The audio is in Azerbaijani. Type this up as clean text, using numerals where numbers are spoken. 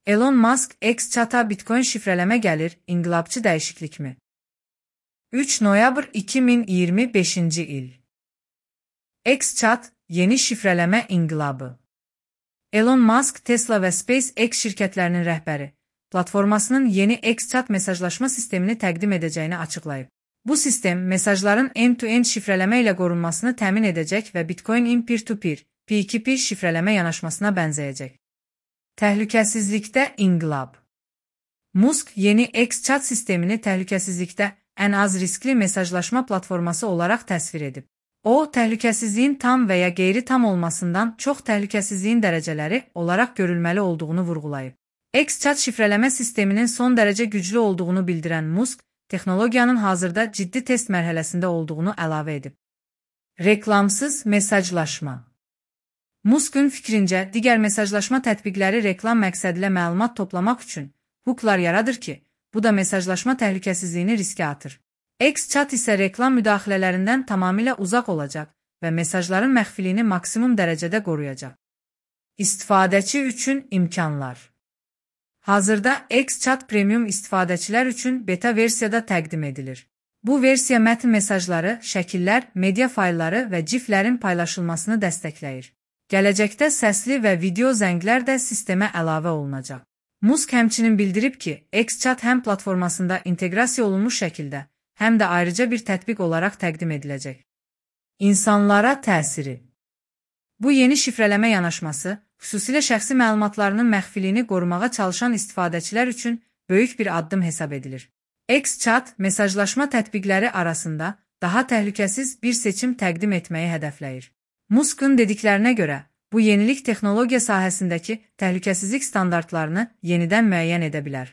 Elon Musk X-Chat'a Bitcoin şifrəleme gəlir, inqilabçı dəyişiklik mi? 3 noyabr 2025 il. X-Chat, yeni şifrəleme inqilabı. Elon Musk, Tesla və SpaceX şirkətlərinin rəhbəri, platformasının yeni X-Chat mesajlaşma sistemini təqdim edəcəyini açıqlayıb. Bu sistem, mesajların end-to-end şifrələmə ilə qorunmasını təmin edəcək və Bitcoin-in peer-to-peer, P2P şifrələmə yanaşmasına bənzəyəcək. Təhlükəsizlikdə inqilab. Musk yeni X-Chat sistemini təhlükəsizlikdə ən az riskli mesajlaşma platforması olaraq təsvir edib. O, təhlükəsizliyin tam və ya qeyri-tam olmasından çox təhlükəsizliyin dərəcələri olaraq görülməli olduğunu vurğulayıb. X-Chat şifrələmə sisteminin son dərəcə güclü olduğunu bildirən Musk, texnologiyanın hazırda ciddi test mərhələsində olduğunu əlavə edib. Reklamsız mesajlaşma. Musk'un fikrincə, digər mesajlaşma tətbiqləri reklam məqsədilə məlumat toplamaq üçün hooklar yaradır ki, bu da mesajlaşma təhlükəsizliyini riskə atır. X-Chat isə reklam müdaxilələrindən tamamilə uzaq olacaq və mesajların məxfiliyini maksimum dərəcədə qoruyacaq. İstifadəçi üçün imkanlar. Hazırda X-Chat Premium istifadəçilər üçün beta versiyada təqdim edilir. Bu versiya mətn mesajları, şəkillər, media faylları və GIF-lərin paylaşılmasını dəstəkləyir. Gələcəkdə səsli və video zənglər də sistemə əlavə olunacaq. Musk həmçinin bildirib ki, X-Chat həm platformasında inteqrasiya olunmuş şəkildə, həm də ayrıca bir tətbiq olaraq təqdim ediləcək. İnsanlara təsiri. Bu yeni şifrələmə yanaşması, xüsusilə şəxsi məlumatlarının məxfiliyini qorumağa çalışan istifadəçilər üçün böyük bir addım hesab edilir. X-Chat mesajlaşma tətbiqləri arasında daha təhlükəsiz bir seçim təqdim etməyi hədəfləyir. Musk'un dediklərinə görə, bu yenilik texnologiya sahəsindəki təhlükəsizlik standartlarını yenidən müəyyən edə bilər.